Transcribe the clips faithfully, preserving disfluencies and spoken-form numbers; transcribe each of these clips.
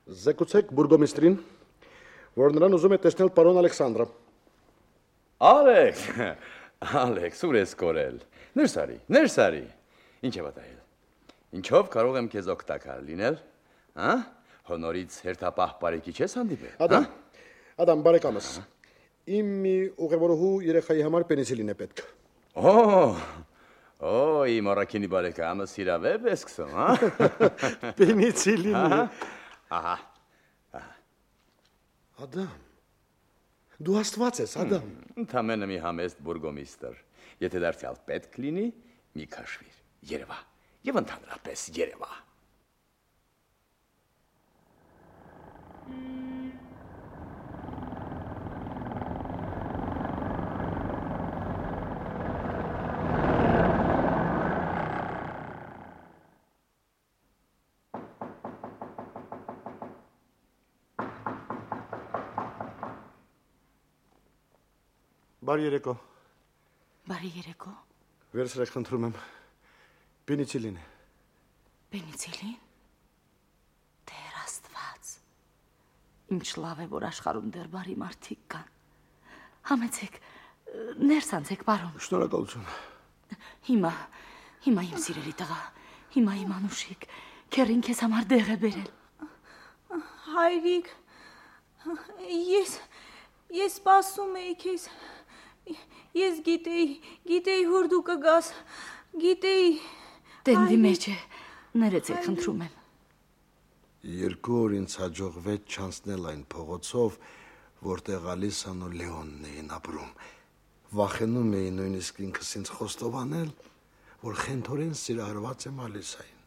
Զեկուցեք բուրգոմիստրին, որ նրան ուզում է տեսնել պարոն Ալեքսանդրը։ Ալեքս, Ալեքս, ուր ես կորել։ Ներս արի, ներս արի։ Ինչ է պատահել։ Ինչով կարող եմ քեզ օգտակար լինել, հա՞։ Հոնորից հերթապահ բարեկի չես հանդիպել։ Ադամ, Ադամ, բարեկամս, իմ մի ուղևորուհու երեխայի համար պենիցիլին է պետք։ Օ, օ, իմ առաքինի բարեկամս հիրավեպ է սկսում, հա։ Պենիցիլին։ Ահա։ Ադամ, դու աստված ես, Ադամ։ Ընդամենը մի համեստ բուրգոմիստր։ Եթե դարձյալ պետք լինի, մի քաշվիր, երևա, եւ ընդհանրապես երևա։ Բարի երեկո։ Բարի երեկո։ Վերցրեք, խնդրում եմ։ Պենիցիլին է։ Պենիցիլին։ Տեր Աստված։ Ինչ լավ է, որ աշխարհում դեռ բարի մարդիկ կան։ Համեցեք, ներս անցեք, պարոն։ Շնորհակալություն։ Հիմա, հիմա իմ սիրելի տղա, հիմա իմ անուշիկ, քերին քեզ համար դեղ է բերել։ Հայրիկ, ես, ես սպասում էի քեզ։ Ես գիտեի, գիտեի, որ դու կգաս, գիտեի։ Տենդի մեջ է, ներեցեք, խնդրում եմ։ Երկու օր ինձ հաջողվեց չանցնել այն փողոցով, որտեղ Ալիսան ու Լեոնն էին ապրում։ Վախենում էի նույնիսկ ինքս ինձ խոստովանել, որ խենթորեն սիրահարված եմ Ալիսային։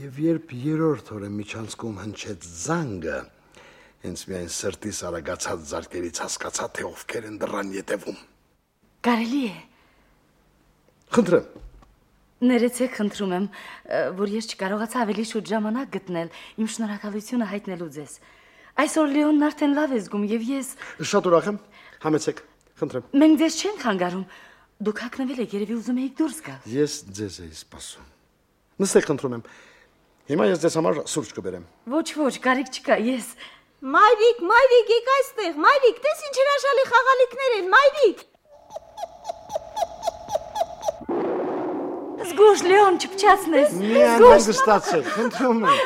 Եվ երբ երրորդ օրը միջանցքում հնչեց զանգը, հենց միայն սրտիս արագացած զարկերից հասկացա, թե ովքեր են դռան ետևում։ Կարելի է։ Խնդրեմ։ Ներեցեք, խնդրում եմ, որ ես չկարողացա ավելի շուտ ժամանակ գտնել իմ շնորհակալությունը հայտնելու ձեզ։ Այսօր Լեոնն արդեն լավ է զգում եւ ես… Շատ ուրախ եմ։ Համեցեք, խնդրեմ։ Մենք ձեզ չենք խանգարում։ Դուք հագնվել եք, երևի ուզում եք դուրս գալ։ Ես ձեզ էի սպասում։ Նստեք, խնդրում եմ։ Հիմա ես ձեզ համար սուրճ կբերեմ։ Ոչ, ոչ, կարիք չկա, ես… Մայրիկ, մայրիկ, եք այստեղ, մայրիկ, տես ինչ հրաշալի խաղալիքներ են, մայրիկ։ Զգուշ, Լեոն, չփչացնես։ Մի անհանգստացեք, խնդրում եմ,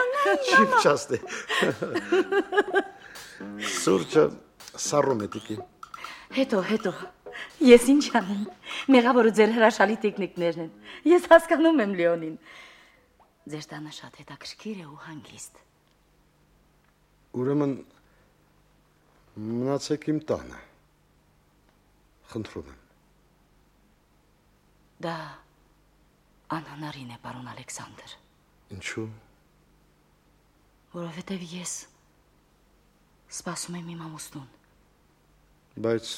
չփչացնի։ Սուրճը սառում է տիկի։ Հետո, հետո, ես ինչ անեմ, մեղավորը ձեր հրաշալի տեխնիկներն են, ես հասկանում եմ Լեոնին։ Ձեր տանը շատ հետաքրքիր է ու հանգիստ։ Ուրեմն մնացեք իմ տանը, խնդրում եմ։ Դա անհնարին է, պարոն Ալեքսանդր։ Ինչու։ Որովհետև ես սպասում եմ իմ ամուսնուն։ Բայց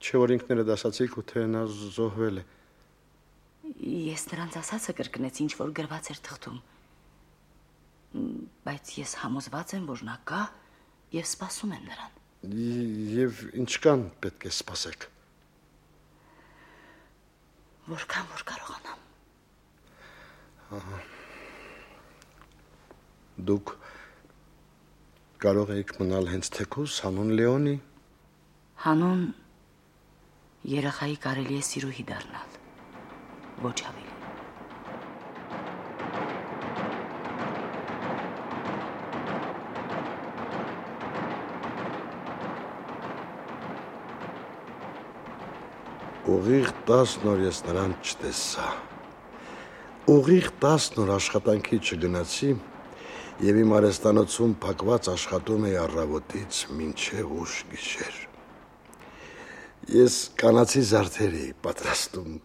չէ որ ինքներդ ասացիք ու թե նա զոհվել է։ Ես նրանց ասածը կրկնեցի, ինչ որ գրված էր թղթում։ Բայց ես համոզված եմ, որ նա կա եւ սպասում եմ նրան։ Եվ ինչքան պետք է սպասեք։ Որքան որ կարողանամ։ Ահա։ Դուք կարող եք մնալ հենց թեկուզ հանուն Լեոնի։ Հանուն երեխայի կարելի է սիրուհի դառնալ։ Ոչ ավելի։ Ուղիղ տասն օր ես նրան չտեսա։ Ուղիղ տասն օր աշխատանքի չգնացի եւ իմ արհեստանոցում փակված աշխատում էի առավոտից մինչեւ ուշ գիշեր։ Ես կանացի զարդեր էի պատրաստում,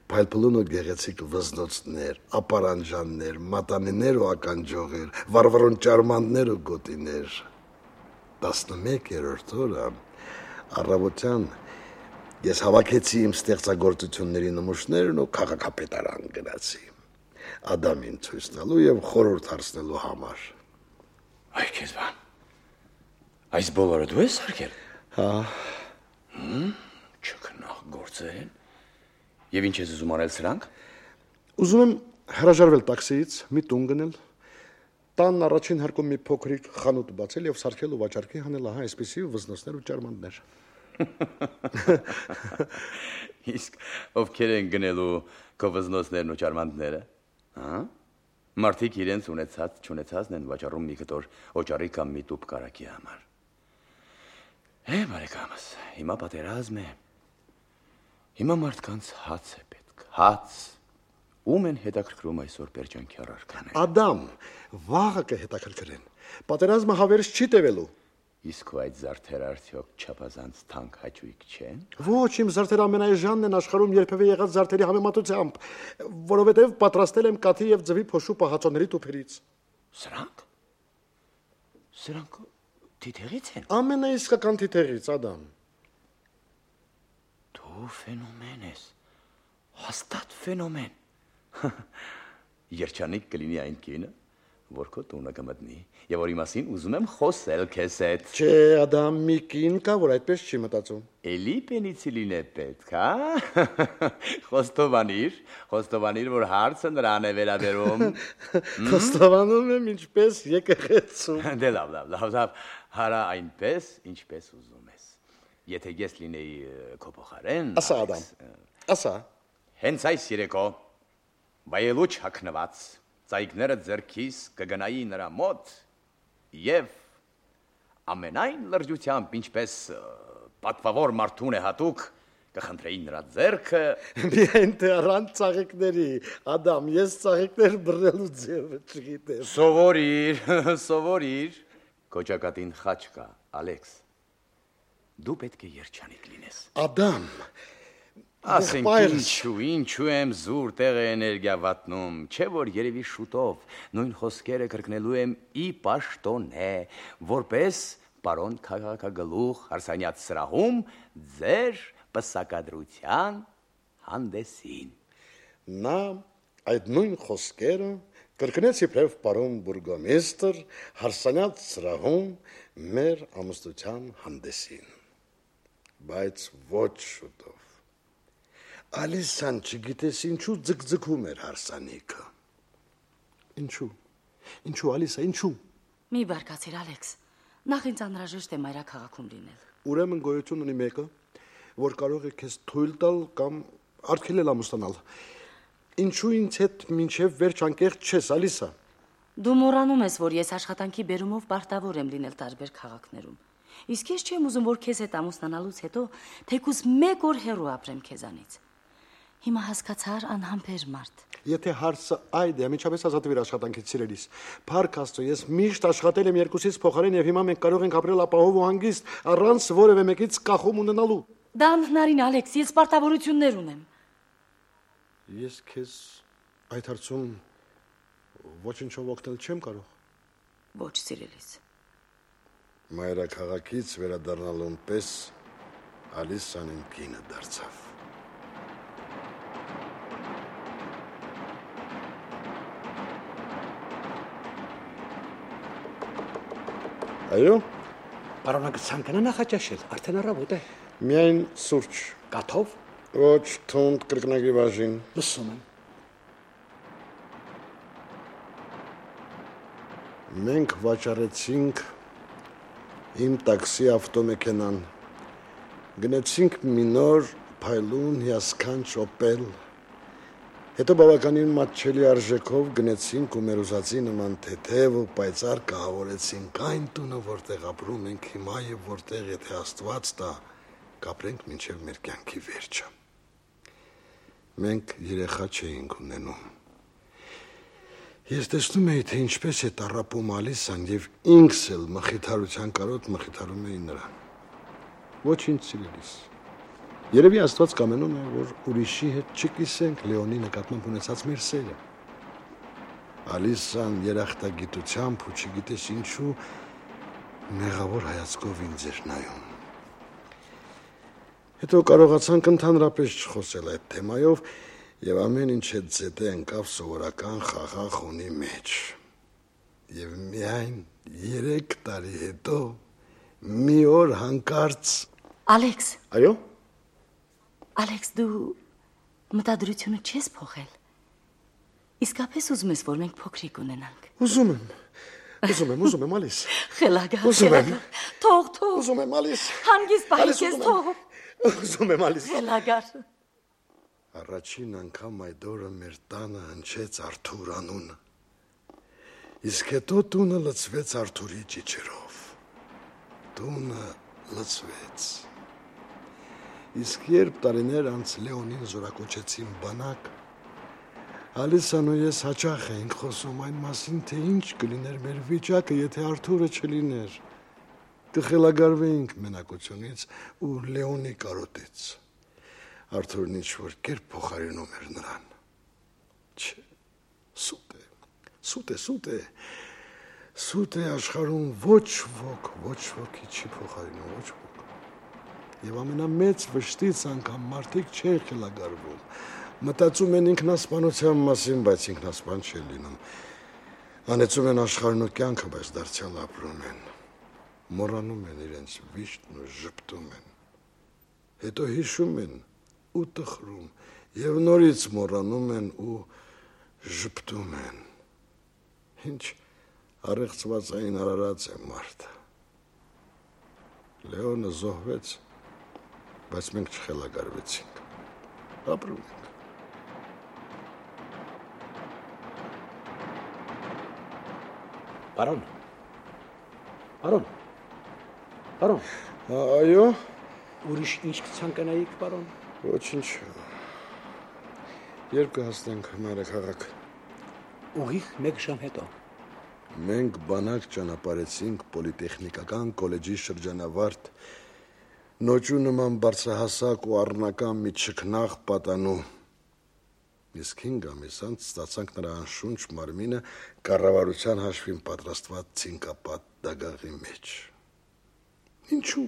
փայլփլուն ու գեղեցիկ վզնոցներ, ապարանջաններ, մատանիներ ու ականջողեր, վառվռուն ճարմաններ ու գոտիներ։ տասնմեկերորդ օրը առավոտյան ես հավաքեցի իմ ստեղծագործությունների նմուշներն ու քաղաքապետարան գնացի։ Ադամին ցույց տալու եւ խորհուրդ հարցնելու համար։ Այ քեզ բան։ Այս բոլորը դու ես արկել։ Հա։ Հմ, չքնաղ գործեր։ Եվ ինչ ես ուզում անել սրանք։ Ուզում եմ հրաժարվել տաքսիից, մի տուն գնել, տան առաջին հարկում մի փոքրիկ խանութ բացել եւ սարքել ու վաճառքի հանել, ահա այսպեսի վզնոցներ ու ճարմաններ։ Իսկ ովքեր են գնելու քո վզնոցներն ու ճարմանները, հա՞։ Մարդիկ իրենց ունեցած, չունեցածն են վաճառում մի կտոր օճառի կամ մի տուփ կարակի համար։ Է, բարեկամս, հիմա պատերազմ է։ Հիմա մարդկանց հաց է պետք, հաց։ Ում են հետաքրքրում այսօր պերջանքի առարկաները։ Ադամ, վաղը կհետաքրքրեն։ Պատերազմը հավերս չի տևելու։ Իսկ ու այդ զարդերը արդյոք չափազանց թանկ հաճույք չեն։ Ոչ, իմ զարդերը ամենայժանն են աշխարհում երբևէ եղած զարդերի համեմատությամբ, որովհետև պատրաստել եմ կաթի եւ ձվի փոշու պահածոների տուփերից։ Սրանք։ Սրանք թիթեղից են։ Ամենաիսկական թիթեղից, Ադամ։ Դու ֆենոմեն ես։ Հաստատ ֆենոմեն։ Երջանիկ կլինի այն կինը, որ քո տունը կմտնի, եւ որի մասին ուզում եմ խոսել քեզ հետ։ Չէ, Ադամ, մի կին կա, որ այդպես չի մտածում։ Էլի պենիցիլին է պետք, հա։ Խոստովանիր, խոստովանիր, որ հարցը նրան է վերաբերում։ Խոստովանում եմ ինչպես եկեղեցում։ Դե լավ, լավ, լավ, լավ, հարա այնպես, ինչպես ուզում ես։ Եթե ես լինեի քո փոխարեն, ասա, Ադամ, ասա։ Հենց այս երեկո բայելուչ հագնված ծայգները ձեռքիս կգնայի նրա մոտ եւ ամենայն լրջությամբ, ինչպես պատվավոր մարդուն է հատուկ, կխնդրեի նրա ձեռքը։ Միայն թե առանց ծաղիկների, Ադամ, ես ծաղիկներ բռնելու ձևը չգիտեմ։ Սովորիր, սովորիր։ Կոճակատին խաչ կա, Ալեքս։ Դու պետք է երջանիկ լինես։ Ադամ, ասենք ինչու, ինչու եմ զուր տեղը էներգիա վատնում, չէ որ երևի շուտով նույն խոսքերը կրկնելու եմ ի պաշտոնե, որպես պարոն քաղաքագլուխ Հարսանյաց սրահում ձեր պսակադրության հանդեսին։ Նա այդ նույն խոսքերը կրկնեց իբրև պարոն բուրգոմիստր Հարսանյաց սրահում մեր ամուսնության հանդեսին, բայց ոչ շուտով։ Ալիսան չգիտես ինչու ձգձգում էր հարսանիքը։ Ինչու։ Ինչու Ալիսա, ինչու։ Մի բարկացիր, Ալեքս։ Նախ ինձ անհրաժեշտ է մայրաքաղաքում լինել։ Ուրեմն գոյություն ունի մեկը, որ կարող է քեզ թույլ տալ կամ արգելել ամուսնանալ։ Ինչու ինձ հետ մինչև վերջ անկեղծ չես, Ալիսա։ Դու մոռանում ես, որ ես աշխատանքի բերումով պարտավոր եմ լինել տարբեր քաղաքներում։ Իսկ ես չեմ ուզում, որ քեզ հետ ամուսնանալուց հետո թեկուզ մեկ օր հեռու ապրեմ քեզանից։ Հիմա հասկացար անհամբեր մարդ։ Եթե հարցը այդ է, միջապես ազատվիր աշխատանքից սիրելիս։ Փառք Աստծո, ես միշտ աշխատել եմ երկուսից փոխարեն եւ հիմա մենք կարող ենք ապրել ապահով ու հանգիստ, առանց որևէ մեկից կախում ունենալու։ Դա անհնարին, Ալեքս, ես պարտավորություններ ունեմ։ Ես քեզ այդ հարցում ոչինչով օգնել չեմ կարող։ Ոչ, սիրելիս։ Մայրաքաղաքից վերադառնալուն պես Ալիսան իմ կինը դարձավ։ Այո։ Պարոնը ցանկանա նախաճաշել, արդեն առավոտ է։ Միայն սուրճ։ Կաթով։ Ոչ, թունդ կրկնակի բաժին։ Լսում եմ։ Մենք վաճառեցինք իմ տաքսի ավտոմեքենան, գնացինք մի նոր փայլուն հիասքանչ օպել, հետո բավականին մատչելի արժեքով գնացինք ու մեր ուզածի նման թեթև ու պայծառ կահավորեցինք այն տունը, որտեղ ապրում ենք հիմա եւ որտեղ, եթե Աստված տա, կապրենք մինչև մեր կյանքի վերջը։ Մենք երեխա չէինք ունենում։ Ես տեսնում էի, թե ինչպես է տառապում Ալիսան եւ ինքս էլ մխիթարության կարոտ մխիթարում էի նրան։ Ոչինչ, սիրելիս։ Երևի Աստված կամենում է, որ ուրիշի հետ չկիսենք Լեոնի նկատմամբ ունեցած մեր սերը։ Ալիսան երախտագիտությամբ ու չգիտես ինչու մեղավոր հայացքով ինձ էր նայում։ Հետո կարողացանք ընդհանրապես չխոսել այդ թեմայով եւ ամեն ինչ հետ զետե ընկավ սովորական խաղաղ խունի մեջ։ Եվ միայն երեք տարի հետո մի օր հանկարծ Ալեքս։ Այո։ Ալեքս, դու մտադրությունը չես փոխել։ Իսկապես ուզում ես, որ մենք փոքրիկ ունենանք։ Ուզում եմ։ Ուզում եմ, ուզում եմ ալիս։ Խելագար, Ուզում եմ։ Թող, թող։ Ուզում եմ ալիս։ Հանգիստ պահի Ալիս, քեզ ուզում եմ։ թող։ Ուզում եմ ալիս։ Խելագար։ Առաջին անգամ այդ օրը մեր տանը հնչեց Արթուր անունը։ Իսկ հետո տունը լցվեց Արթուրի ճիչերով։ Տունը լցվեց։ Իսկ երբ տարիներ անց Լեոնին զորակոչեցին բանակ, Ալիսան ու ես հաճախ էինք խոսում այն մասին, թե ինչ կլիներ մեր վիճակը, եթե Արթուրը չլիներ։ Կխելագարվեինք մենակությունից ու Լեոնի կարոտից։ Արթուրն ինչ-որ կերպ փոխարինում էր նրան։ Չէ, սուտ է, սուտ է, սուտ է, սուտ է աշխարհում ոչ ոք, ոչ ոքի չի փոխարինում, ոչ ոք։ Եվ ամենամեծ վշտից անգամ մարդիկ չեն խելագարվում, մտածում են ինքնասպանության մասին, բայց ինքնասպան չեն լինում, անեցում են աշխարհն ու կյանքը, բայց դարձյալ ապրում են, մոռանում են իրենց վիշտն ու ժպտում են, հետո հիշում են ու տխրում, և նորից մոռանում են ու ժպտում են, ինչ առեղծվածային արարած է մարդը։ Լեոնը զոհվեց, բայց մենք չխելագարվեցինք, ապրում ենք։ Պարոն, պարոն, պարոն, Այո, ուրիշ ինչ կցանկանայիք, պարոն։ ոչինչ, երբ կհասնենք մայրաքաղաք։ Ուղիղ մեկ ժամ հետո։ Մենք բանակ ճանապարհեցինք պոլիտեխնիկական կոլեջի շրջանավարտ, նոճու նման բարձրահասակ ու առնական մի չքնաղ պատանու։ Իսկ հինգ ամիս անց ստացանք նրա անշունչ մարմինը կառավարության հաշվին պատրաստված ցինկապատ դագաղի մեջ։ Ինչու՞։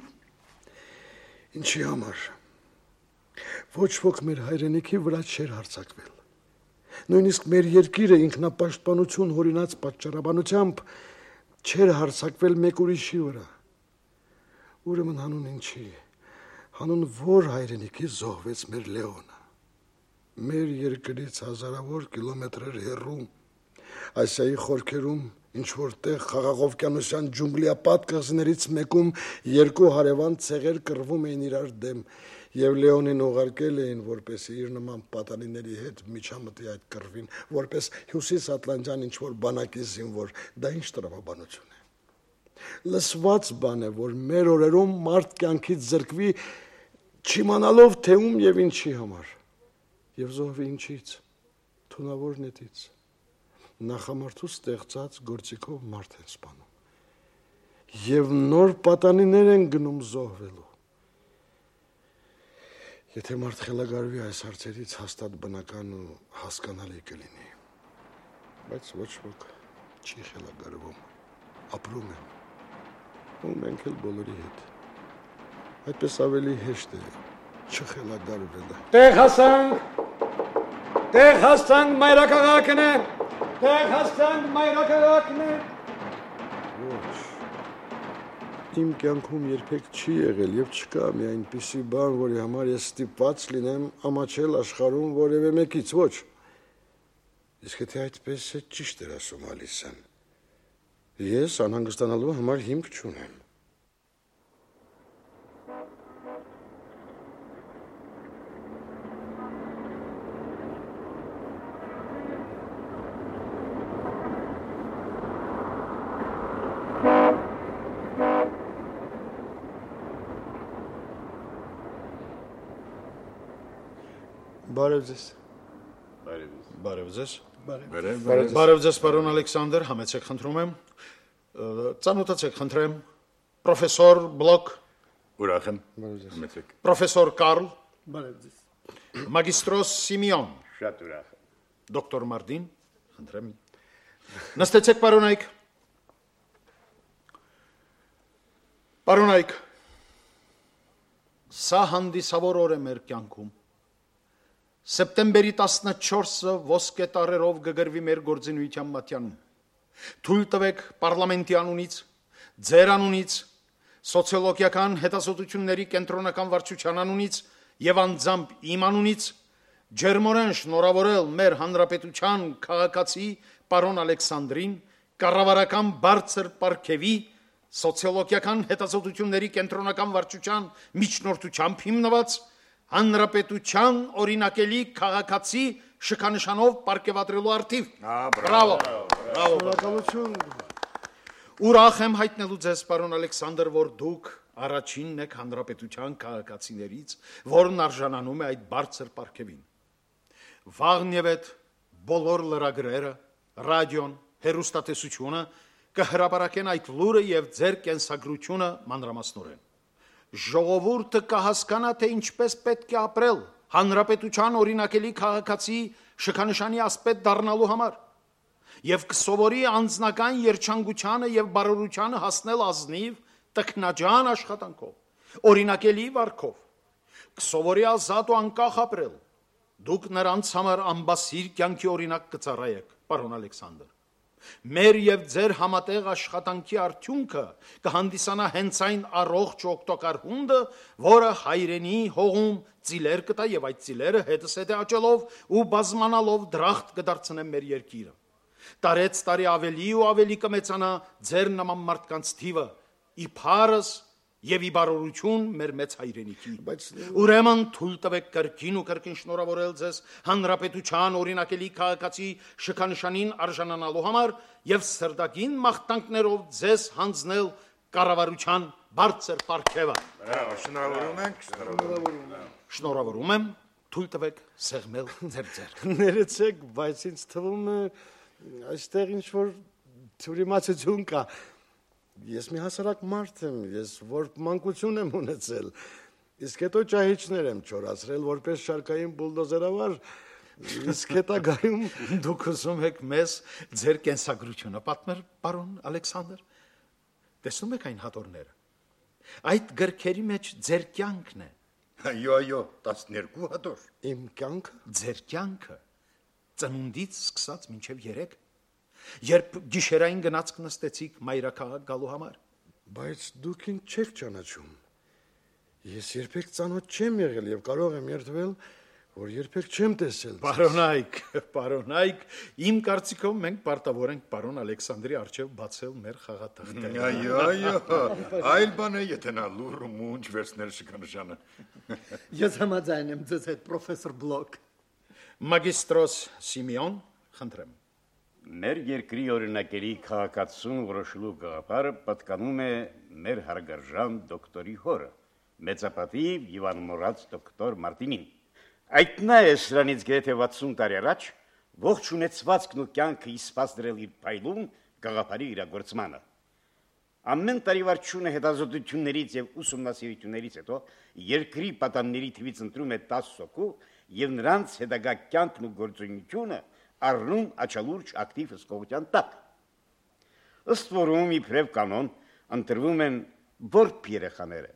Ինչի համար։ Ոչ ոք մեր հայրենիքի վրա չէր հարձակվել։ Նույնիսկ մեր երկիրը ինքնապաշտպանություն հորինած պատճառաբանությամբ չէր հարձակվել մեկ ուրիշի վրա։ Ուրեմն հանուն ինչի, հանուն որ հայրենիքի զոհվեց մեր Լեոնը։ Մեր երկրից հազարավոր կիլոմետրեր հեռու, Ասիայի խորքերում, ինչ-որտեղ Խաղաղովկյանոսյան ջունգլիապատ կղզիներից մեկում երկու հարևան ցեղեր կռվում էին իրար դեմ, և Լեոնին ուղարկել էին, որպեսզի իր նման պատանիների հետ միջամտի այդ կռվին, որպես հյուսիսատլանտյան ինչ-որ բանակի զինվոր, դա ինչ տրամաբանություն է։ Լսված բան է, որ մեր օրերում մարդ կյանքից զրկվի, չիմանալով թե ում և ինչի համար, և զոհվի ինչից, թունավոր նետից, նախամարդու ստեղծած գործիքով մարդ են սպանում, և նոր պատանիներ են գնում զոհվելու։ Եթե մարդ խելագարվի այս հարցերից, հաստատ բնական ու հասկանալի կլինի, բայց ոչ ոք չի խելագարվում, ապրում են, ու մենք էլ բոլորի հետ։ Այդպես ավելի հեշտ է չխելագարվելը։ Տեղ հասանք, տեղ հասանք մայրաքաղաքն է, տեղ հասանք մայրաքաղաքն է։ Ոչ, իմ կյանքում երբեք չի եղել և չկա մի այնպիսի բան, որի համար ես ստիպված լինեմ ամաչել աշխարհում որևէ մեկից, ոչ։ Իսկ եթե այդպես է, ճիշտ էր ասում Ալիսան, ես անհանգստանալու համար հիմք չունեմ։ Բարև ձեզ։ Բարև ձեզ։ Բարև ձեզ, պարոն Ալեքսանդր, համեցեք խնդրում եմ։ Ծանոթացեք խնդրեմ, պրոֆեսոր Բլոկ, Ուրախ եմ, համեցեք։ պրոֆեսոր Կարլ, Բարև ձեզ։ մագիստրոս Սիմեոն, Շատ ուրախ եմ։ դոկտոր Մարդին, խնդրեմ։ Նստեցեք, պարոնայք։ Պարոնայք, սա հանդիսավոր օր է մեր կյանքում։ Սեպտեմբերի տասնչորսը ոսկե տարերով կգրվի մեր գործունեության մատյանում։ Թույլ տվեք պարլամենտի անունից, ձեր անունից, սոցիոլոգիական հետազոտությունների կենտրոնական վարչության անունից և անձամբ իմ անունից ջերմորեն շնորհավորել մեր հանրապետության քաղաքացի պարոն Ալեքսանդրին կառավարական բարձր պարգևի, սոցիոլոգիական հետազոտությունների կենտրոնական վարչության միջնորդությամբ հիմնված հանրապետության օրինակելի քաղաքացի շքանշանով պարգևատրելու արդիվ։ Բրավո։ Շնորհակալություն։ Ուրախ եմ հայտնելու ձեզ, պարոն Ալեքսանդր, որ դուք առաջինն եք հանրապետության քաղաքացիներից, որն արժանանում է այդ բարձր պարգևին։ Վաղնևեթ բոլոր լրագրերը, ռադիոն, հեռուստատեսությունը կհրապարակեն այդ լուրը եւ ձեր կենսագրությունը մանրամասնորեն։ Ժողովուրդը կհասկանա, թե ինչպես պետք է ապրել հանրապետության օրինակելի քաղաքացի շքանշանի ասպետ դառնալու համար եւ կսովորի անձնական երջանկությանը եւ բարօրությանը հասնել ազնիվ տքնաջան աշխատանքով, օրինակելի վարքով, կսովորի ազատ ու անկախ ապրել։ Դուք նրանց համար ամբասիր կյանքի օրինակ կծառայեք, պարոն Ալեքսանդր։ Մեր եւ ձեր համատեղ աշխատանքի արդյունքը կհանդիսանա հենց այն առողջ օգտակար հունդը, որը հայրենի հողում ծիլեր կտա եւ այդ ծիլերը հետս հետե աճելով ու բազմանալով դրախտ կդարձնեն մեր երկիրը։ Տարեց տարի ավելի ու ավելի կմեծանա ձեր նման մարդկանց թիվը, իբարս եւ իբարորություն մեր մեծ հայրենիքի։ Բայց ուրեմն թույլ տվեք կրկին ու կրկին շնորհավորել ձեզ հանրապետության օրինակելի քաղաքացի շքանշանին արժանանալու համար եւ սրտագին մաղթանքներով ձեզ հանձնել կառավարության բարձր պարգևը։ Շնորհավորում ենք, շնորհավորում եմ։ Շնորհավորում եմ, թույլ տվեք սեղմել ձեր ձեռքը։ Ներեցեք, բայց ինձ թվում է այստեղ ինչ որ թյուրիմացություն կա։ Ես մի հասարակ մարդ եմ, ես որ մանկություն եմ ունեցել, իսկ հետո ճահիճներ եմ չորացրել որպես շարքային բուլդոզերավար, իսկ հետագայում դուք ուզում եք մեզ ձեր կենսագրությունը պատմել, պարոն Ալեքսանդր։ Տեսնում եք այն հատորները։ Այդ գրքերի մեջ ձեր կյանքն է։ Այո, այո, տասներկու հատոր։ իմ կյանքը, Ձեր կյանքը ծնունդից սկսած մինչև երեք, երբ գիշերային գնացք նստեցիք մայրաքաղաք գալու համար։ բայց դուք ինձ չեք ճանաչում։ Ես երբեք ծանոթ չեմ եղել եւ կարող եմ երդվել, որ երբեք չեմ տեսել։ Պարոն Այք, պարոն Այք, իմ կարծիքով մենք պարտավոր ենք պարոն Ալեքսանդրի առջև բացել մեր խաղաթղթերը։ Այո, այո, այլ բան է, եթե նա լուր ու մունջ վերցնել շքանշանը։ Ես համաձայն եմ ձեզ հետ, պրոֆեսոր Բլոկ։ Մագիստրոս Սիմեոն, խնդրեմ։ Մեր երկրի օրինակելի քաղաքացուն որոշելու գաղափարը պատկանում է մեր հարգարժան դոկտորի հորը, մեծապատիվ եւ անմոռաց դոկտոր Մարտինին։ Այդ նա է սրանից գրեթե վաթսուն տարի առաջ ողջ ունեցվածքն ու կյանքը իսպաս դրել իր փայլուն գաղափարի իրագործմանը։ Ամեն տարի վարչությունը հետազոտություններից եւ ուսումնասիրություններից հետո երկրի պատանների թվից ընտրում է տասը հոգու եւ նրանց հետագա կյանքն ու գործունեությունը առնում աչալուրջ ակտիվ հսկողության տակ։ Ըստ որում իբրև կանոն ընտրվում են որբ երեխաները,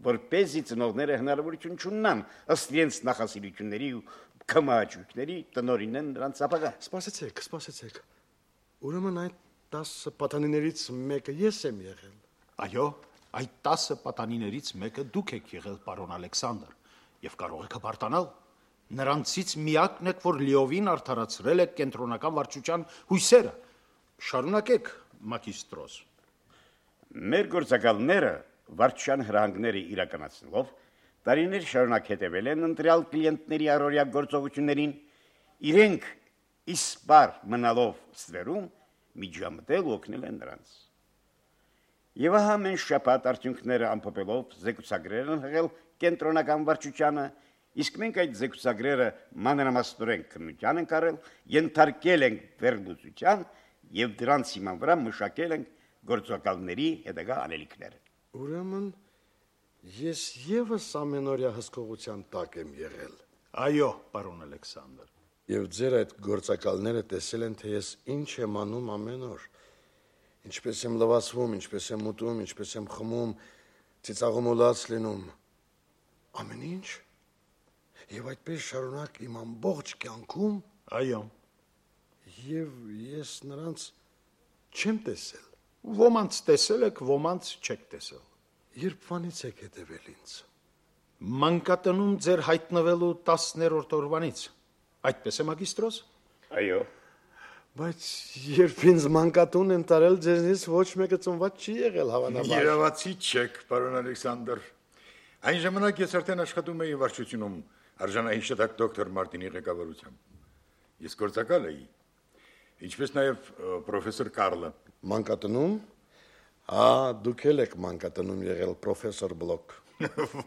որպեսզի ծնողները հնարավորություն չունենան ըստ իրենց նախասիրությունների ու կմաճույքների տնօրինեն նրանց ապագա։ Սպասեցեք, սպասեցեք։ Ուրեմն այդ տասը պատանիներից մեկը ես եմ եղել։ Այո, այդ տասը պատանիներից մեկը դուք եք եղել, պարոն Ալեքսանդր, եւ կարող եք հպարտանալ։ Նրանցից միակն եք, որ լիովին արդարացրել եք կենտրոնական վարչության հույսերը։ Շարունակեք, մագիստրոս։ Մեր գործակալները վարչության հրահանգները իրականացնելով տարիներ շարունակ հետևել են ընտրյալ կլիենտների առօրյա գործողություններին, իրենք իսպար մնալով ստվերում միջամտել ու օգնել են նրանց։ Եվ ահա մենք շաբաթ արդյունքները ամփոփելով զեկուցագրեր են հղել կենտրոնական վարչությանը, իսկ մենք այդ զեկուցագրերը մանրամասնորեն քննության ենք արել, ենթարկել ենք վերլուծության եւ դրանց հիման վրա մշակել ենք գործակալների հետագա անելիքները։ Ուրեմն ես եւս ամենօրյա հսկողության տակ եմ եղել։ Այո, պարոն Ալեքսանդր։ Եվ ձեր այդ գործակալները տեսել են, թե ես ինչ եմ անում ամեն օր, ինչպես եմ լվացվում, ինչպես եմ ուտում, ինչպես եմ խմում, ծիծաղում ու լաց լինում, ամեն ինչ։ Եվ այդպես շարունակ իմ ամբողջ կյանքում։ Այո։ Եվ ես նրանց չեմ տեսել։ Ոմանց տեսել եք, ոմանց չեք տեսել։ Երբվանից եք հետևել ինձ։ Մանկատնում ձեր հայտնվելու տասներորդ օրվանից։ Այդպես է, մագիստրոս։ Այո։ Բայց երբ ինձ մանկատուն են տարել, ձեզնից ոչ մեկը ծնված չի եղել հավանաբար։ Երևացի չեք, պարոն Ալեքսանդր։ Այն ժամանակ ես արդեն աշխատում էի վարչությունում արժանահիշատակ դոկտոր Մարտինի ղեկավարությամբ։ Ես գործակալ էի, ինչպես նաև պրոֆեսոր Կարլը։ Մանկատնում։ Ա, դուք էլ եք մանկատնում եղել, պրոֆեսոր Բլոկ։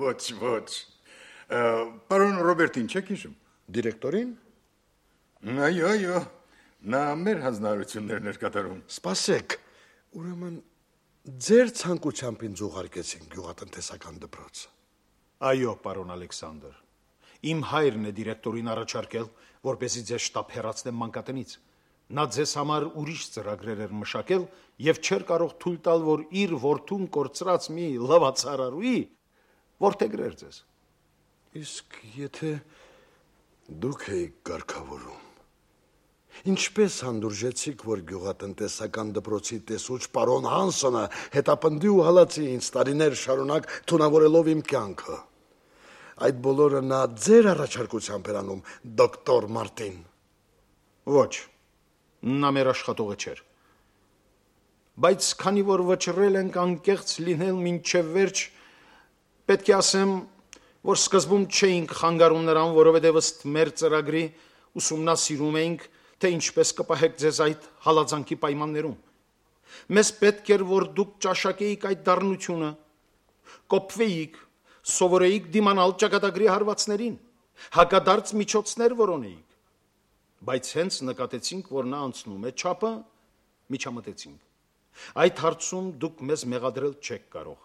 Ոչ, ոչ։ Պարոն Ռոբերտին չեք հիշում։ Դիրեկտորին։ Այո, այո, նա մեր հանձնարարություններն էր կատարում։ Սպասեք, ուրեմն ձեր ցանկությամբ ինձ ուղարկեցին գյուղատնտեսական դպրոց։ Այո, պարոն Ալեքսանդր։ Իմ հայրն է դիրեկտորին առաջարկել, որպեսզի ձեզ շտապ հեռացնեմ մանկատնից։ Նա ձեզ համար ուրիշ ծրագրեր էր մշակել եւ չէր կարող թույլ տալ, որ իր որդուն կորցրած մի լվացարարուի որդեգրեր ձեզ։ Իսկ եթե դուք եք կարգավորում, ինչպես հանդուրժեցիք, որ գյուղատնտեսական դպրոցի տեսուչ պարոն Հանսոնը հետապնդի ու հալածի ինձ տարիներ շարունակ թունավորելով իմ կյանքը։ Այդ բոլորը նա ձեր առաջարկությամբ էր անում, դոկտոր Մարտին։ Ոչ, նա մեր աշխատողը չէր։ Բայց քանի որ վճռել ենք անկեղծ լինել մինչև վերջ, պետք է ասեմ, որ սկզբում չէինք խանգարում նրան, որովհետև ըստ մեր ծրագրի ուսումնասիրում էինք, թե ինչպես կպահեք ձեզ այդ հալածանքի պայմաններում։ Մեզ պետք էր, որ դուք ճաշակեիք այդ դառնությունը, կոփվեիք, սովորեիք դիմանալ ճակատագրի հարվածներին, հակադարձ միջոցներ որոնեիք։ Բայց հենց նկատեցինք, որ նա անցնում է չափը, միջամտեցինք։ Այդ հարցում դուք մեզ մեղադրել չեք կարող,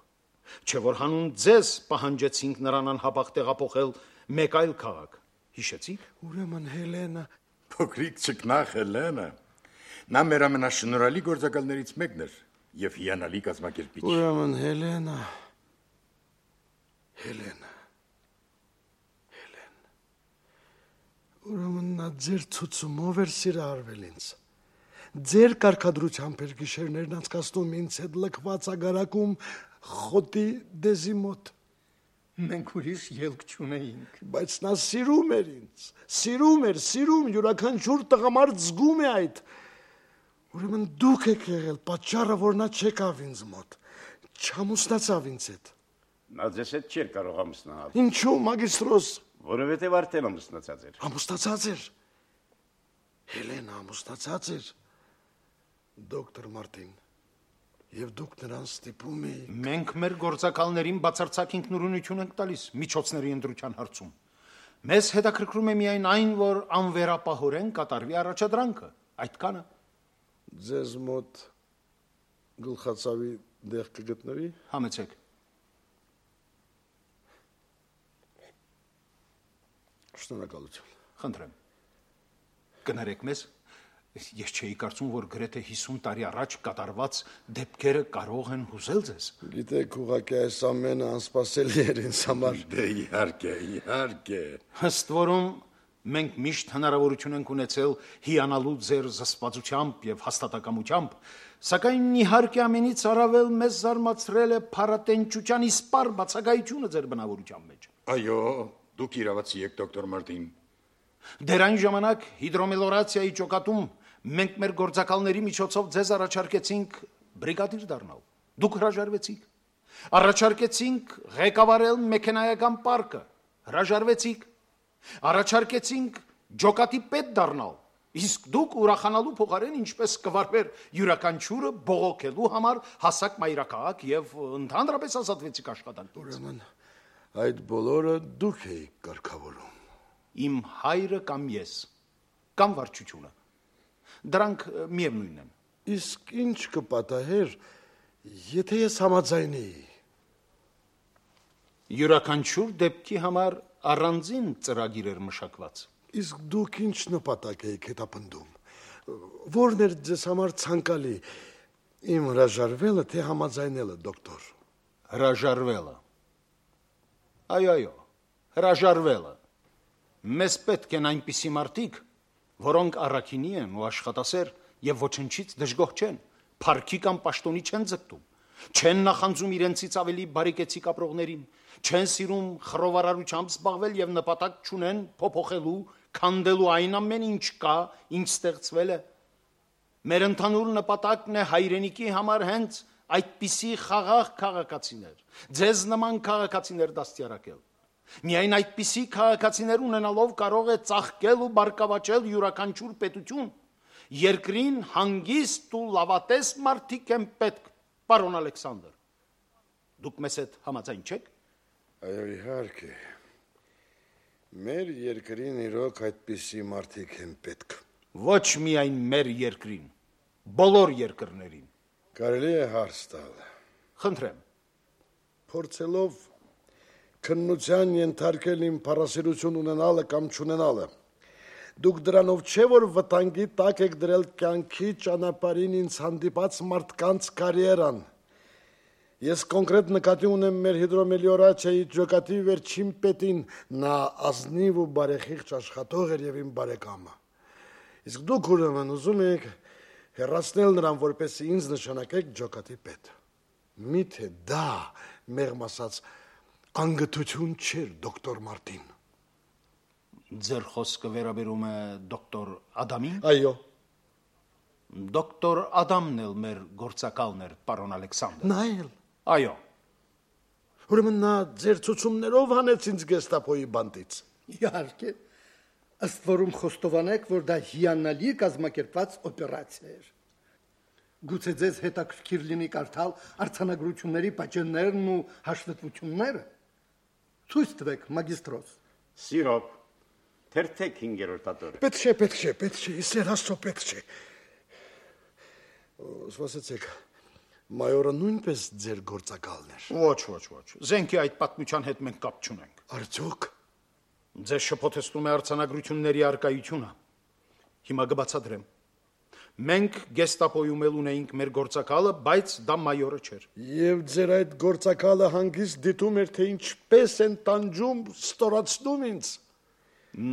չէ որ հանուն ձեզ պահանջեցինք նրան անհապաղ տեղափոխել մեկ այլ քաղաք։ Հիշեցիք։ Ուրեմն Հելենը, Փոքրիկ ճկնախ Հելենը, նա մեր ամենաշնորհալի գործակալներից մեկն էր եւ հիանալի կազմակերպիչ։ ուրեմն Հելենը, Հելենը, Հելեն, ուրեմն նա ձեր ցուցումով էր սիրահարվել ինձ։ Ձեր կարգադրությամբ էր գիշերներն անցկացնում ինձ հետ լքված ագարակում խոտի դեզի մոտ։ Մենք ուրիշ ելք չունեինք։ Բայց նա սիրում էր ինձ, սիրում էր, սիրում, յուրաքանչյուր տղամարդ զգում է այդ։ Ուրեմն դուք եք եղել պատճառը, որ նա չեկավ ինձ մոտ, չամուսնացավ ինձ հետ։ Նա ձեզ հետ չէր կարող ամուսնալ, Ինչու, մագիստրոս, որովհետև արդեն ամուսնացած էր։ ամուսնացած էր։ Հելենը ամուսնացած էր, դոկտոր Մարտին, եւ դուք նրան ստիպում եք։ Մենք մեր գործակալներին բացարձակ ինքնուրույնություն ենք տալիս միջոցների ընտրության հարցում։ Մեզ հետաքրքրում է միայն այն, որ անվերապահորեն կատարվի առաջադրանքը, այդքանը։ Ձեզ մոտ գլխացավի դեղ կգտնվի։ Համեցեք։ Շնորհակալություն։ Խնդրեմ։ Կներեք մեզ։ Ես չէի կարծում, որ գրեթե հիսուն տարի առաջ կատարված դեպքերը կարող են հուզել ձեզ։ Գիտեք, ուղղակի այս ամենը անսպասելի էր ինձ համար։ Դե իհարկե, իհարկե։ Ըստ որում մենք միշտ հնարավորություն ենք ունեցել հիանալու ձեր զսպվածությամբ եւ հաստատակամությամբ, սակայն իհարկե ամենից առավել մեզ զարմացրել է փառատենչության իսպառ բացակայությունը ձեր բնավորության մեջ։ Այո, դուք իրավացի եք, դոկտոր Մարտին։ Դեր այն ժամանակ հիդրոմելորացիայի ճոկատում մենք մեր գործակալների միջոցով ձեզ առաջարկեցինք բրիգադիր դառնալ։ Դուք հրաժարվեցիք։ Առաջարկեցինք ղեկավարել մեքենայական պարկը։ Հրաժարվեցիք։ Առաջարկեցինք ջոկատի պետ դառնալ։ Իսկ դուք ուրախանալու փոխարեն ինչպես կվարվեր յուրաքանչյուրը բողոքելու համար հասակ մայրաքաղաք եւ ընդհանրապես ազատվեցիք աշխատանքից։ Ուրեմն այդ բոլորը դուք եք կարգավորում։ Իմ հայրը կամ ես, կամ վարչությունը։ Դրանք միևնույն են։ Իսկ ինչ կպատահեր, եթե ես համաձայնեի։ Յուրաքանչյուր դեպքի համար առանձին ծրագիր էր մշակված։ Իսկ դուք ինչ նպատակ եք հետապնդում։ Որն էր ձեզ համար ցանկալի, իմ հրաժարվելը, թե համաձայնելը, դոկտոր։ Հրաժարվելը։ Այո, այո, հրաժարվելը։ Մեզ պետք են այնպիսի մարդիկ, որոնք առաքինի են ու աշխատասեր եւ ոչնչից դժգոհ չեն, փառքի կամ պաշտոնի չեն ձգտում, չեն նախանձում իրենցից ավելի բարեկեցիկ ապրողներին, չեն սիրում խռովարարությամբ զբաղվել եւ նպատակ չունեն փոփոխելու, քանդելու այն ամեն ինչ կա, ինչ ստեղծվել է։ Մեր ընդհանուր նպատակն է հայրենիքի համար հենց այդպիսի խաղաղ քաղաքացիներ, ձեզ նման քաղաքացիներ դաստիարակել։ Միայն այդպիսի քաղաքացիներ ունենալով կարող է ծաղկել ու բարգավաճել յուրաքանչյուր պետություն։ Երկրին հանգիստ ու լավատես մարդիկ են պետք, պարոն Ալեքսանդր։ Դուք մեզ հետ համաձայն չեք։ Այո, իհարկե։ Մեր երկրին իրոք այդպիսի մարդիկ են պետք։ Ոչ միայն մեր երկրին, բոլոր երկրներին։ Կարելի է հարց տալ։ Խնդրեմ։ Փորձելով քննության ենթարկել իմ փառասիրություն ունենալը կամ չունենալը, դուք դրանով չէ որ վտանգի տակ եք դրել կյանքի ճանապարհին ինձ հանդիպած մարդկանց կարիերան։ Ես կոնկրետ նկատի ունեմ մեր հիդրոմելիորացիայի ջոկատի վերջին պետին, նա ազնիվ ու բարեխիղճ աշխատող էր եւ իմ բարեկամը։ Իսկ դուք ուրեմն ուզում եք հեռացնել նրան, որպեսզի ինձ նշանակեք ջոկատի պետ։ Միթե դա մեղմ ասած անգթություն չէր, դոկտոր Մարտին։ Ձեր խոսքը վերաբերում է դոկտոր Ադամին։ Այո։ Դոկտոր Ադամն էլ մեր գործակալն էր, պարոն Ալեքսանդր։ Նա էլ։ Այո։ Ուրեմն նա ձեր ցուցումներով հանեց ինձ գեստապոյի բանտից։ Իհարկե, ըստ որում խոստովանեք, որ դա հիանալի կազմակերպված օպերացիա էր։ Գուցե ձեզ հետաքրքիր լինի կարդալ արձանագրությունների պատճեններն ու հաշվետվությունները։ Ցույց տվեք, մագիստրոս։ Սիրոք, թերթեք հինգերորդ ատորը։ Պետք չէ, պետք չէ, պետք չէ, իսեր աստծո պետք չէ։ Սպասեցեք, մայորը նույնպես ձեր գործակալն էր։ Ոչ, ոչ, ոչ։ Զենքի այդ պատմության հետ մենք կապ չունենք։ Արդյոք Ձեզ շփոթեցնում է արձանագրությունների արկայությունը։ Հիմա կբացատրեմ։ Մենք գեստապոյում էլ ունեինք մեր գործակալը, բայց դա մայորը չէր։ Եվ ձեր այդ գործակալը հանգիստ դիտում էր, թե ինչպես են տանջում, ստորացնում ինձ։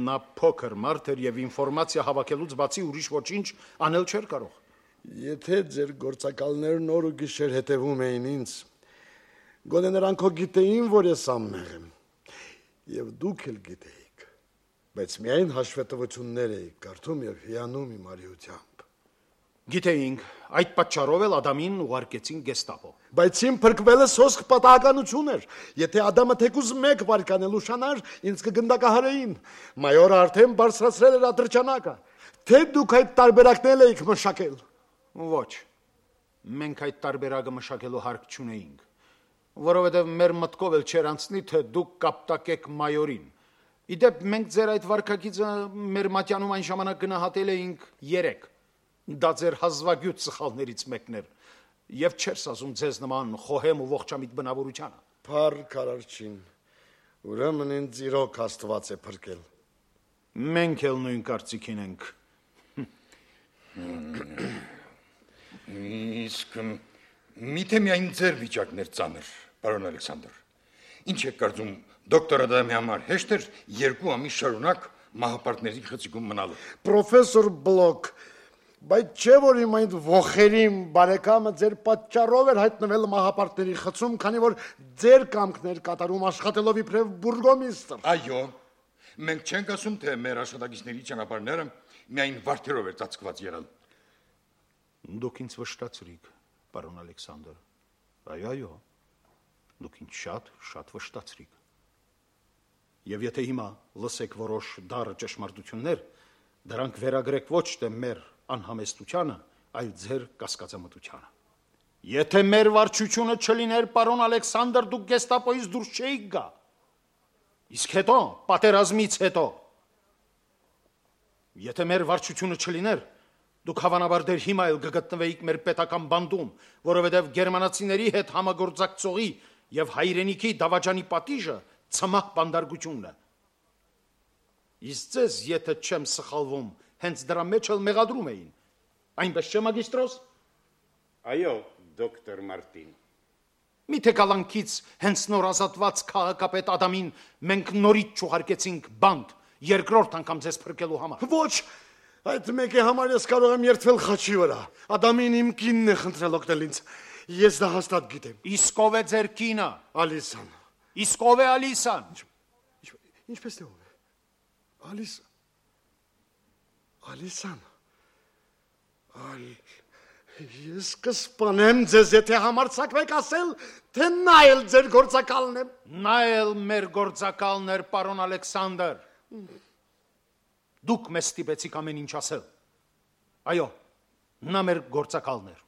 Նա փոքր մարդ էր եւ ինֆորմացիա հավաքելուց բացի ուրիշ ոչինչ անել չէր կարող։ Եթե ձեր գործակալներն օր ու գիշեր հետևում էին ինձ, գոնե նրանք հո գիտեին, որ ես անմեղ եմ։ Եվ դուք էլ գիտեիք, բայց միայն հաշվետվություններ էիք կարդում եւ հիանում իմ արիությամբ։ Գիտեինք, այդ պատճառով էլ Ադամին ուղարկեցին գեստապո։ Բայց իմ փրկվելը սոսկ պատահականություն էր։ Եթե Ադամը թեկուզ մեկ վարկանել ուշանար, ինձ կգնդակահարեին։ Մայորը արդեն բարձրացրել էր ատրճանակը։ Թե դուք այդ տարբերակն եք մշակել։ Ոչ։ Մենք այդ տարբերակը մշակելու հարկ չունեինք, որովհետև մեր մտքով էլ չէր անցնի, թե դուք կապտակեք մայորին։ Իդեպ մենք ձեր այդ վարքագիծը մեր մատյանում այն ժամանակ գնահատել էինք երեք։ Դա ձեր հազվագյուտ սխալներից մեկն էր, եւ չեր ասում ձեզ նման խոհեմ ու ողջամիտ բնավորությանը։ Փառք Արարչին, ուրեմն ինձ իրոք Աստված է փրկել։ Մենք էլ նույն կարծիքին ենք։ Իսկ միթե միայն ձեր վիճակն էր ծանր, պարոն Ալեքսանդր։ Ինչ եք կարծում, դոկտոր Ադամի համար հեշտ էր երկու ամիս շարունակ մահապարտների խցիկում մնալը։ Պրոֆեսոր Բլոկ, բայց չէ որ իմ այդ ողերիմ բարեկամը ձեր պատճառով էր հայտնվել մահապարտների խցում, քանի որ ձեր կամքն էր կատարում աշխատելով իբրև բուրգոմիստր։ Այո, մենք չենք ասում, թե մեր աշխատակիցների ճանապարհները միայն վարդերով էր ծածկված եղել։ Դուք ինձ վշտացրիք, պարոն Ալեքսանդր։ Այո, այո։ Դուք ինձ շատ, շատ վշտացրիք։ Եվ եթե հիմա լսեք որոշ դառը ճշմարտություններ, դրանք վերագրեք ոչ թե մեր անհամեստությանը, այլ ձեր կասկածամտությանը։ Եթե մեր վարչությունը չլիներ, պարոն Ալեքսանդր, դուք գեստապոյից դուրս չէիք գա։ Իսկ հետո, պատերազմից հետո, եթե մեր վարչությունը չլիներ, դուք հավանաբար դեր հիմա էլ կգտնվեիք մեր պետական բանդում, որովհետև գերմանացիների հետ համագործակցողի եւ հայրենիքի դավաճանի պատիժը ցմահ բանդարգությունն է։ Իսկ ձեզ, եթե չեմ սխալվում, հենց դրա մեջ էլ մեղադրում էին։ Այնպես չէ, մագիստրոս։ Այո, դոկտոր Մարտին։ Միթե կալանքից հենց նոր ազատված քաղաքապետ Ադամին մենք նորից չուղարկեցինք բանդ, երկրորդ անգամ ձեզ փրկելու համար։ Ոչ, այդ մեկի համար ես կարող եմ երդվել խաչի վրա։ Ադամին իմ կինն է խնդրել օգնել ինձ։ Ես դա հաստատ գիտեմ։ Իսկ ով է ձեր կինը։ Ալիսան։ Իսկ ով է Ալիսան։ Ինչպես թե ով է։ Ալիսա։ Ալիսան։ Այլ ես կսպանեմ ձեզ, եթե համարձակվեք ասել, թե նա էլ ձեր գործակալն է։ Նա էլ մեր գործակալն էր, պարոն Ալեքսանդր։ Դուք մեզ ստիպեցիք ամեն ինչ ասել։ Այո, նա մեր գործակալն էր։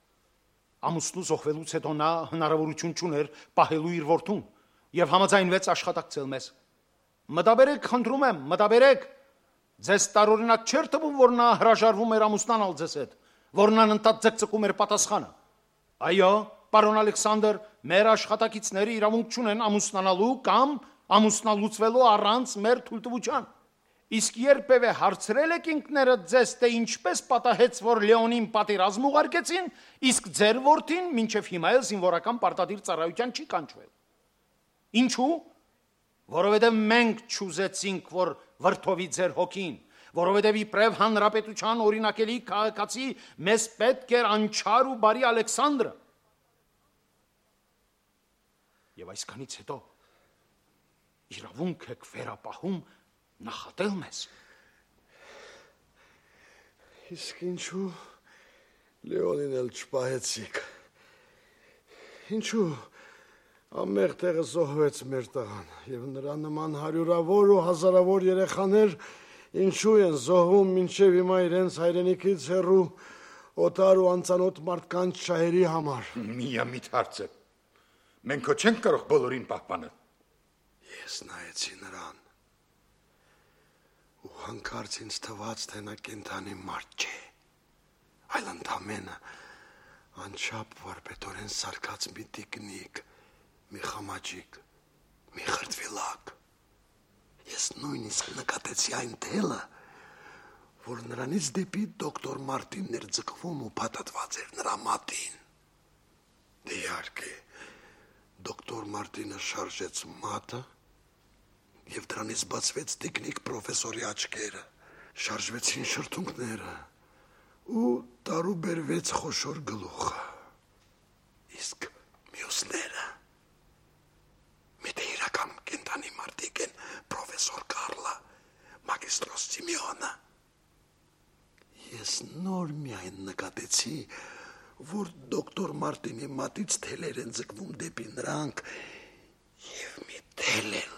Ամուսնու զոհվելուց հետո նա հնարավորություն չուներ պահելու իր որդուն եւ համաձայնվեց աշխատակցել մեզ։ Մտաբերեք, խնդրում եմ, մտաբերեք։ Ձեզ տարօրինակ չէր թվում, որ նա հրաժարվում էր ամուսնանալ ձեզ հետ, որ նա ընդհանուր ձգձգում էր պատասխանը։ Այո, պարոն Ալեքսանդր, մեր աշխատակիցները իրավունք չունեն ամուսնանալու կամ ամուսնալուծվելու առանց մեր թույլտվության։ Իսկ երբևէ հարցրել եք ինքներդ ձեզ, թե ինչպես պատահեց, որ Լեոնին պատերազմ ուղարկեցին, իսկ ձեր որդին մինչև հիմա էլ զինվորական պարտադիր ծառայության չի կանչվել։ Ինչու՞։ Որովհետև մենք չուզեցինք, որ վրդովի ձեր հոգին, որովհետև իբրև հանրապետության օրինակելի քաղաքացի մեզ պետք էր անչար ու բարի Ալեքսանդրը։ Եվ այսքանից հետո իրավունք եք վերապահում նախատել մեզ։ Իսկ ինչու Լեոնին էլ չպահեցիք։ Ինչու ամեղ տեղը զոհվեց մեր տղան, եւ նրա նման հարյուրավոր ու հազարավոր երեխաներ ինչու են զոհվում մինչև հիմա իրենց հայրենիքից հեռու օտար ու անծանոթ մարդկանց շահերի համար։ Միամիտ հարց է։ Մենք հո չենք կարող բոլորին պահպանել։ Ես նայեցի նրան ու հանկարծ ինձ թվաց, թե նա կենդանի մարդ չէ, այլ ընդամենը անչափ վարպետորեն սարքած մի տիկնիկ, մի խամաճիկ, մի խրտվիլակ։ Ես նույնիսկ նկատեցի այն թելը, որ նրանից դեպի դոկտոր Մարտինն էր ձգվում ու փաթաթված էր նրա մատին։ Դե իհարկե, դոկտոր Մարտինը շարժեց մատը եւ դրանից բացվեց տիկնիկ պրոֆեսորի աչքերը, շարժվեցին շրթունքները ու տարուբերվեց խոշոր գլուխը։ Իսկ մյուսները Միտե իրական կենտանի մարդիկ են պրոֆեսոր Կարլը, մագիստրոս Սիմեոնը։ Ես նոր միայն նկատեցի, որ դոկտոր Մարտինի մատից թելեր են ձգվում դեպի նրանք եւ մի թել էլ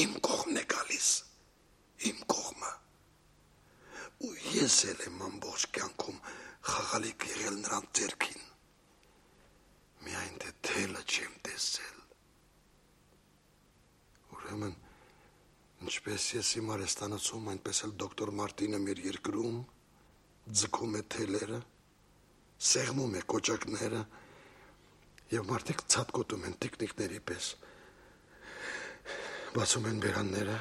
իմ կողմն է գալիս, իմ կողմը։ Ու ես էլ եմ ամբողջ կյանքում խաղալիք եղել նրանց ձեռքին։ Միայն թե թելը չեմ տեսել։ Ուրեմն, ինչպես ես իմ արեստանոցում, այնպես էլ դոկտոր Մարտինը մեր երկրում ձգում է թելերը, սեղմում է կոճակները եւ մարդիկ ցատկոտում են տիկնիկների պես։ Բացում են բերանները,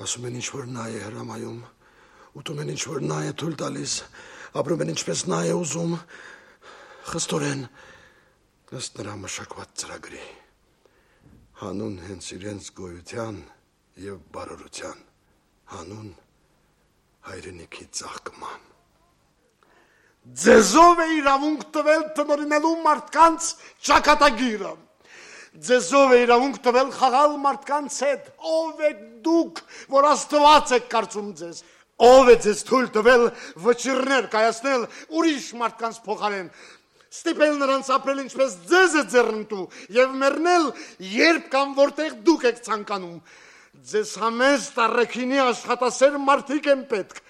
ասում են ինչ-որ նա է հրամայում, ուտում են ինչ-որ նա է թույլ տալիս, ապրում են ինչպես նա է ուզում, խստորեն, ըստ նրա մշակված ծրագրի, հանուն հենց իրենց գոյության եւ բարօրության, հանուն հայրենիքի ծաղկման։ Ձեզով է իրավունք տվել տնօրինելու մարդկանց ճակատագիրը։ Ձեզով է իրավունք տվել խաղալ մարդկանց հետ։ Ով եք դուք, որ Աստված եք կարծում ձեզ։ Ով է ձեզ թույլ տվել վճիռներ կայացնել ուրիշ մարդկանց փոխարեն, ստիպել նրանց ապրել ինչպես ձեզ է ձեռնտու եւ մեռնել երբ կամ որտեղ դուք եք ցանկանում։ Ձեզ համեստ առաքինի աշխատասեր մարդիկ են պետք,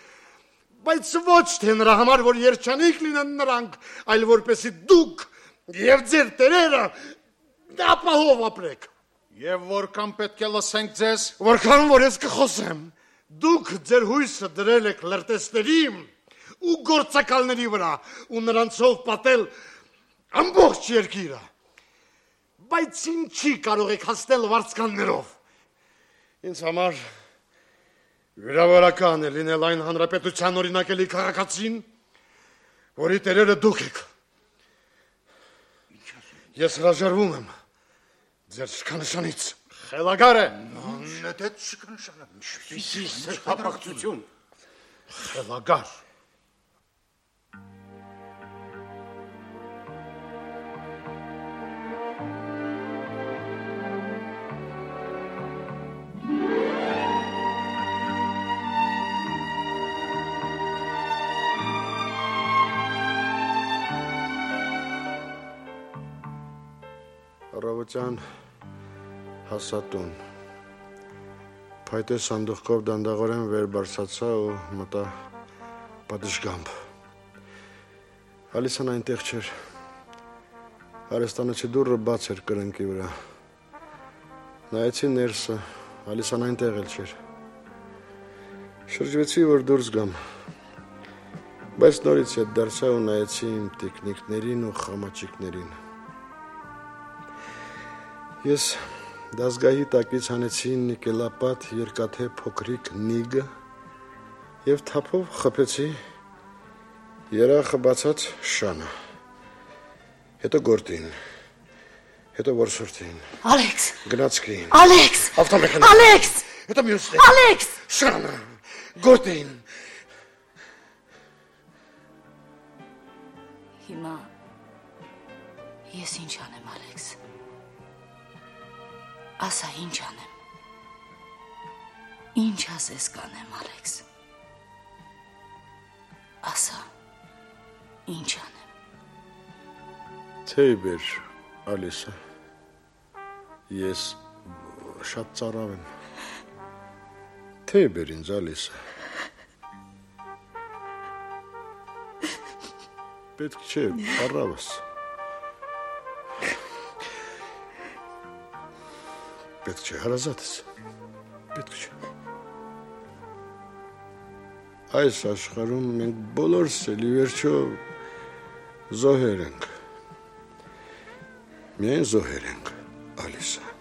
բայց ոչ թե նրա համար, որ երջանիկ լինեն նրանք, այլ որպեսզի դուք եւ ձեր տերերը ապահով ապրեք։ Եվ որքան պետք է լսենք ձեզ, որքան որ ես կխոսեմ, դուք ձեր հույսը դրել եք լրտեսների ու գործակալների վրա ու նրանցով պատել ամբողջ երկիրը, բայց ինչի կարող եք հասնել վարձկաններով։ Ինձ համար վիրավորական է լինել այն հանրապետության օրինակելի քաղաքացին, որի տերերը դուք եք։ Ես հրաժարվում եմ ձեր շքանշանից։ խելագար է։ Նետեց շքանշանը։ Ինչպիսի սրբապղծություն։ Խելագար։ Առավոտյան հասատուն։ Փայտե սանդուղքով դանդաղորեն վեր բարձացա ու մտա պատշգամբ։ Ալիսան այնտեղ չէր։ Արեստանոցի դուռը բաց էր կրնկի վրա։ Նայեցի ներսը, Ալիսան այնտեղ էլ չէր։ Շրջվեցի, որ դուրս գամ։ Բայց նորից ետ դարձա ու նայեցի իմ տիկնիկներին ու խամաճիկներին։ Ես դասգահի տակից հանեցի նիկելապատ երկաթե փոքրիկ նիգը և թափով խփեցի երախը բացած շանը։ Հետո գործին, հետո որսորդին։ Ալեքս։ Գնացքին։ Ալեքս։ Ավտոմեքանա։ Ալեքս։ Հետո մյուսին։ Ալեքս։ Շանը, գործին։ Հիմա ես ինչ անեմ, Ալեքս։ Ասա ինչ անեմ։ Ինչ ասես կանեմ, Ալեքս։ Ասա ինչ անեմ։ Թեյ բեր, Ալիսա։ Ես շատ ծարավ եմ։ Թեյ բեր ինձ, Ալիսա։ Պետք չէ, առավս։ Պետք չէ, հարազատս։ Պետք չէ։ Այս աշխարհում մենք բոլորս էլ ի վերջո զոհեր ենք։ Միայն զոհեր ենք, Ալիսա։